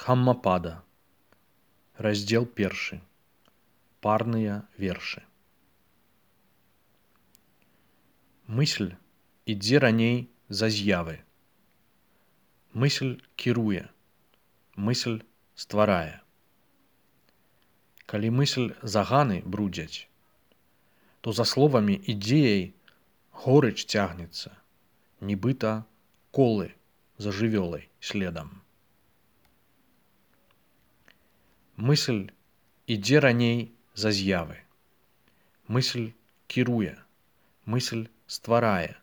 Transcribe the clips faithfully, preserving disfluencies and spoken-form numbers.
Дхаммапада. Раздзел першы. Парныя вершы. Мысль ідзе раней за з'явы. Мысль кіруе. Мысль стварае. Калі мысль заганы брудзяць, то за словамі ідзеяй горыч цягнецца, нібыта колы за жывёлай следам. Мысль ідзе раней за з'явы. Мысль кіруе. Мысль стварае.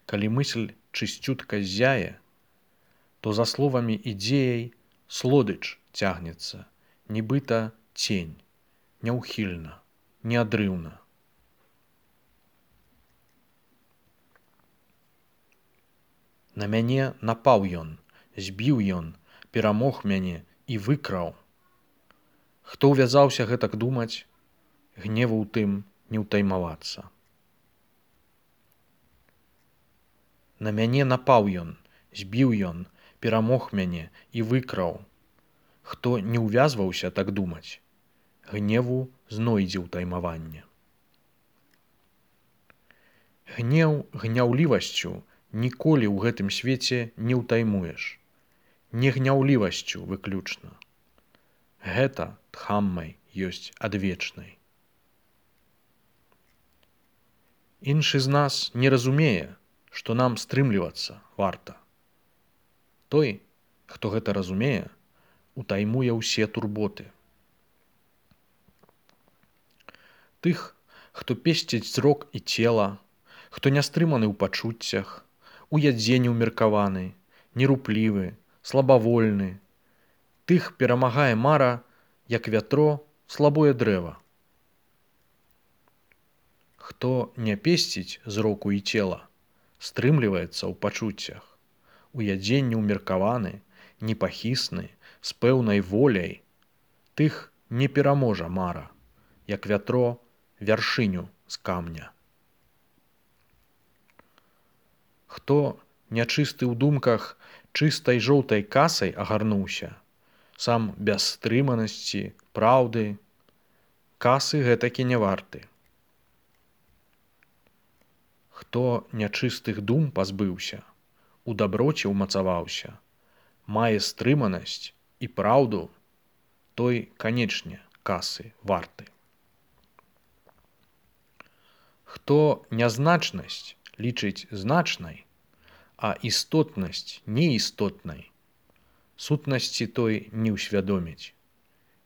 Калі мысль чысцютка ззяе, то за словамі ідзеяй слодыч цягнецца, нібыта цень, няўхільна, неадрыўна. На мяне напаў ён, збіў ён, перамог мяне і выкраў. Хто ўвязаўся гэтак думаць, гневу ў тым не ўтаймавацца. На мяне напаў ён, збіў ён, перамог мяне і выкраў. Хто не ўвязваўся так думаць, гневу знойдзе ўтаймаванне. Гнеў гняўлівасцю ніколі ў гэтым свеце не ўтаймуеш. Не гняўлівасцю выключна. Гэта дхаммай ёсць адвечнай. Іншы з нас не разумее, што нам стрымлівацца варта. Той, хто гэта разумее, утаймуе ўсе турботы. Тых, хто песціць зрок і цела, хто нястрыманы ў пачуццях, у ядзе неўмеркаваны, неруплівы, слабавольны, тых перамагае мара, як вятро, слабое дрэва. Хто не песціць зроку і цела, стрымліваецца ў пачуццях, у ядзе неўмеркаваны, непахісны, з пэўнай воляй, тых не пераможа мара, як вятро вяршыню з камня. Хто нячысты ў думках чыстай жоўтай касай агарнуўся, сам без стрыманасці, праўды, касы гэтакі не варты. Хто нячыстых дум пазбыўся, у даброце ўмацаваўся, мае стрыманасць і праўду, той, канечне, касы варты. Хто нязначнасць лічыць значнай, а істотнасць неістотнай, сутнасці той не ўсвядоміць,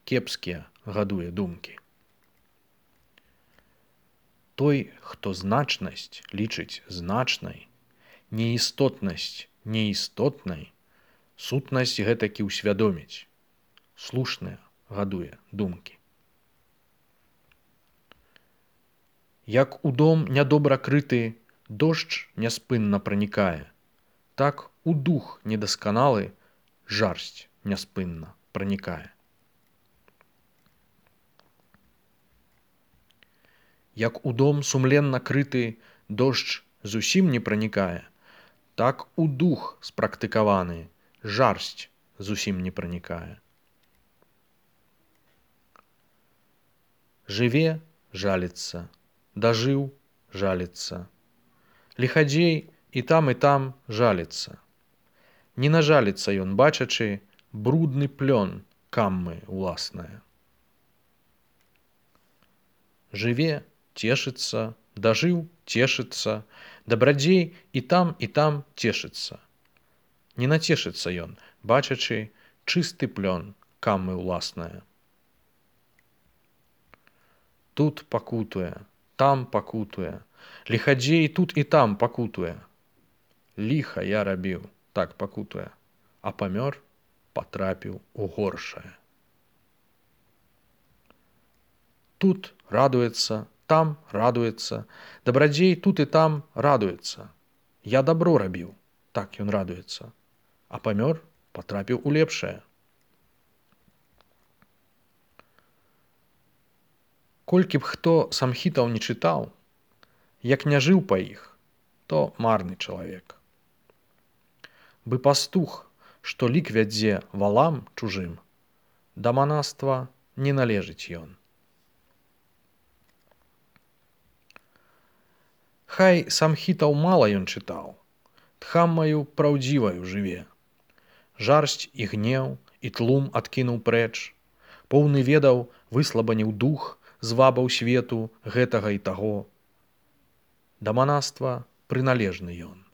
кепскія гадуе думкі. Той, хто значнасць лічыць значнай, неістотнасць неістотнай, сутнасць гэтакі ўсвядоміць, слушныя гадуе думкі. Як у дом нядобра крыты дождж няспынна пранікае, так у дух недасканалы жарсць няспынна пранікае. Як у дом сумленна крыты дождж зусім не пранікае, так у дух спрактыкаваны жарсць зусім не пранікае. Жыве – жаліцца, дажыў – жаліцца, ліхадзей і там і там жаліцца. Не нажаліцца ён, бачачы брудны плён каммы ўласнае. Жыве – цешыцца, дажыў – цешыцца, дабрадзей і там і там цешыцца. Не нацешыцца ён, бачачы чысты плён каммы ўласнае. Тут пакутуе, там пакутуе, ліхадзей тут і там пакутуе. Ліха я рабіў, так пакутуе, а памёр, патрапіў у горшае. Тут радуецца, там радуецца, дабрадзей тут і там радуецца. Я дабро рабіў, так ён радуецца, а памёр, патрапіў у лепшае. Колькі б хто самхітаў не чытаў, як не жыў па іх, то марны чалавек. Бы пастух што лік вядзе валам чужым, да манаства не належыць ён. Хай самхітаў мала ён чытаў, тхаммаю праўдзіваю жыве. Жарсць і гнеў, і тлум адкінуў прэч, поўны ведаў выслабаніў дух, звабаў свету гэтага і таго. Да манаства прыналежны ён.